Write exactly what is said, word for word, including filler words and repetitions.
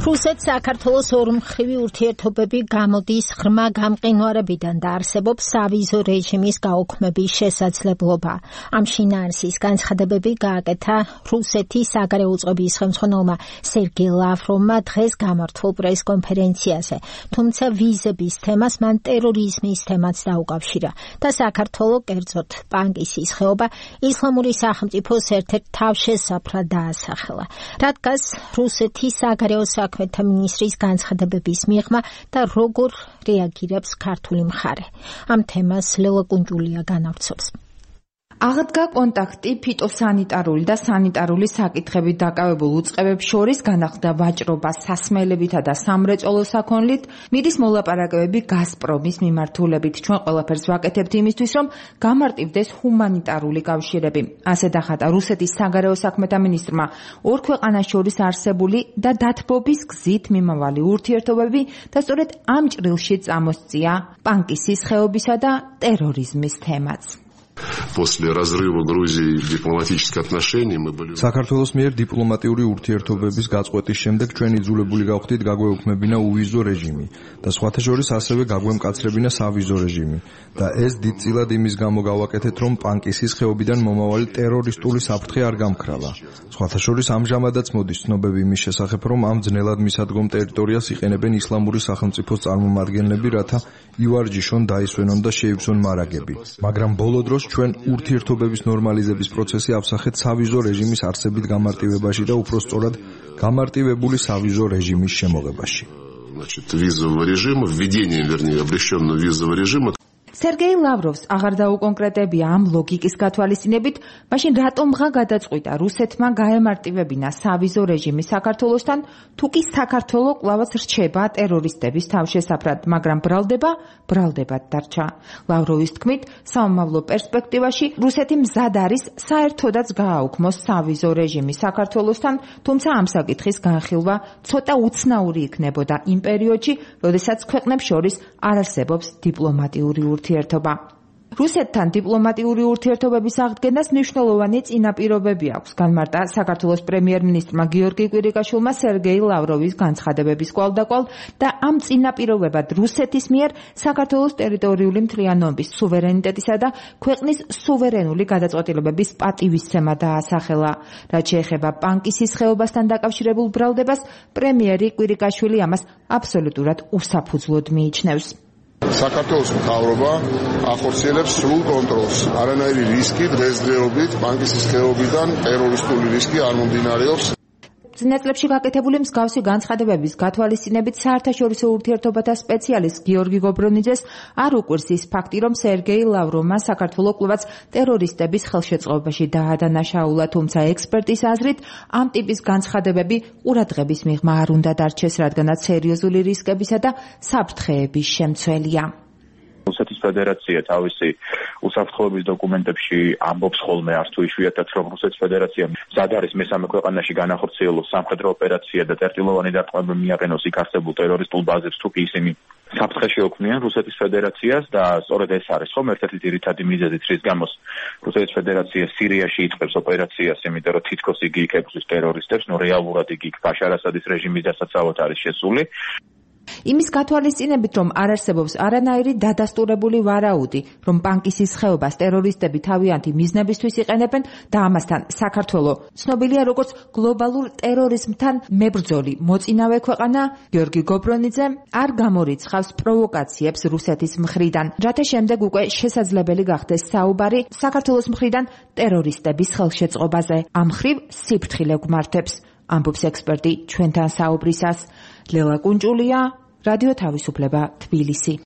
რუსეთ-საქართველოს ორმხრივი ურთიერთობები გამოდის ღრმა გამყინვარებიდან და არსებობს სავიზო რეჟიმის გაუქმების შესაძლებლობა. Ამ შინაარსის განცხადებები გააკეთა რუსეთის საგარეო უწყების ხელმძღვანელმა სერგეი ლავროვმა დღეს გამართულ პრესკონფერენციაზე, თუმცა ვიზების თემას მან ტერორიზმის თემაც დაუკავშირა და საქართველო, კერძოდ პანკისის ხეობა, ისლამური სახელმწიფოს ერთ-ერთ თავშესაფრად დაასახელა. რადგან რუსეთის საგარეო საქმეთა მინისტრის განცხადებების მიღმა და როგორ რეაგირებს ქართული მხარე. Ამ თემას ლელა კუნჯულია განავრცობს. აღდგა კონტაქტი ფიტოსანიტარული და სანიტარული საკითხებით დაკავებულ უწყებებს შორის, განახლდა ვაჭრობა სასმელებითა და სამრეწველო საქონლით, მიდის მოლაპარაკებები გაზპრომის მიმართულებით. ჩვენ ყველაფერს ვაკეთებთ იმისთვის, რომ გამარტივდეს ჰუმანიტარული კავშირები. ასე დახატა რუსეთის საგარეო საქმეთა მინისტრმა ორ ქვეყანას შორის არსებული და დათბობის გზით მიმავალი ურთიერთობები და სწორედ ამ ჭრილში წამოსწია პანკისის ხეობისა და ტერორიზმის თემაც. После разрыва Грузии дипломатических отношений мы были საქართველოს მიერ დიპლომატიური ურთიერთობების გაწყვეტის შემდეგ ჩვენ იძულებული გავხდით გაგვეუქმებინა უვიზო რეჟიმი და სხვათა შორის ასევე გაგვემკაცრებინა სავიზო რეჟიმი და ეს დიდწილად იმის გამო გავაკეთეთ, რომ პანკისის ხეობიდან მომავალი ტერორისტული საფრთხე არ გამქრალა. სხვათა შორის ამჟამადაც მოდის ცნობები იმის შესახებ, რომ ამ ძნელად მისადგომ ტერიტორიას იყენებენ ისლამური სახელმწიფოს წარმომადგენლები, რათა ივარჯიშონ, დაისვენონ და შეივსონ მარაგები. მაგრამ ბოლო დროს ჩვენ ურთიერთობების ნორმალიზების პროცესი ავსახეთ სავიზო რეჟიმის არსებით გამარტივებაში და უფრო სწორად გამარტივებული სავიზო რეჟიმის შემოღებაში. Значит, визового режима, введение, вернее, облегченного визового режима. სერგეი ლავროვს აღარ დაუკონკრეტებია ამ ლოგიკის გათვალისწინებით, მაშინ რატომღა გადაწყვიტა რუსეთმა გაემარტივებინა სავიზო რეჟიმი საქართველოსთან, თუ კი საქართველო კვლავაც რჩება ტერორისტების თავშესაფრად, მაგრამ ბრალდება, ბრალდებად დარჩა. ლავროვის თქმით, სამომავლო პერსპექტივაში რუსეთი მზად არის საერთოდაც გააუქმოს სავიზო რეჟიმი საქართველოსთან, თუმცა ამ საკითხის განხილვა ცოტა უცნაური იქნებოდა იმ პერიოდში, როდესაც ქვეყნებს შორის არ არსებობს დიპლომატიური ურთიერთობა. რუსეთთან დიპლომატიური ურთიერთობების აღდგენას მნიშვნელოვანი წინაპირობები აქვს, განმარტა საქართველოს პრემიერ-მინისტრმა გიორგი კვირიკაშვილმა სერგეი ლავროვის განცხადებების კვალდაკვალ და ამ წინაპირობებად რუსეთის მიერ საქართველოს ტერიტორიული მთლიანობის, სუვერენიტეტისა და ქვეყნის სუვერენული გადაწყვეტილებების პატივისცემა დაასახელა. რაც შეეხება პანკისის ხეობასთან დაკავშირებულ ბრალდებას, პრემიერი კვირიკაშვილი ამას აბსოლუტურად უსაფუძვლოდ მიიჩნევს. საქართველოს მთავრობა ახორციელებს სრულ კონტროლს. არანაირი რისკი დღესდღეობით პანკისის ხეობიდან ტერორისტული რისკი არ მომდინარეობს. წინა წლებში გაკეთებული მსგავსი განცხადებების გათვალისწინებით საერთაშორისო ურთიერთობათა სპეციალისტ გიორგი გობრონიძეს არ უკვირს ის ფაქტი, რომ სერგეი ლავროვმა საქართველო კვლავაც ტერორისტების ხელშეწყობაში დაადანაშაულა, თუმცა ექსპერტის აზრით ამ ტიპის განცხადებები ყურადღების მიღმა არ უნდა დარჩეს, რადგანაც სერიოზული რისკებისა და საფრთხეების შემცველია. რუსეთის ფედერაცია თავისი უსაფრთხოების დოკუმენტებში ამბობს ხოლმე არც თუ იშვიათად, რომ რუსეთის ფედერაცია მზად არის მესამე ქვეყანაში განახორციელოს სამხედრო ოპერაცია და წერტილოვანი დარტყმები მიაყენოს იქ არსებულ ტერორისტულ ბაზებს, თუ კი ისინი საფრთხე შეუქმნიან რუსეთის ფედერაციას და სწორედ ეს არის ხომ ერთ-ერთი ძირითადი მიზეზი, რის გამოც რუსეთის ფედერაცია სირიაში იწყებს ოპერაციას, იმიტომ რომ თითქოს იგი იქ ეკუთვნის ტერორისტებს, ნუ რეალურად იგი იქ ბაშარ ასადის რეჟიმის დასაცავად არის შესული. იმის გათვალისწინებით, რომ არ არსებობს არანაირი დადასტურებული ვარაუდი, რომ პანკისის ხეობას ტერორისტები თავიანთი მიზნებისთვის იყენებენ და ამასთან საქართველო ცნობილია როგორც გლობალურ ტერორიზმთან მებრძოლი მოწინავე ქვეყანა, გიორგი გობრონიძე არ გამორიცხავს პროვოკაციებს რუსეთის მხრიდან, რათა შემდეგ უკვე შესაძლებელი გახდეს საუბარი საქართველოს მხრიდან ტერორისტების ხელშეწყობაზე. ამ მხრივ სიფრთხილე გვმართებს, ამბობს ექსპერტი ჩვენთან საუბრისას. ლელა კუნჯულია, რადიო თავისუფლება, თბილისი.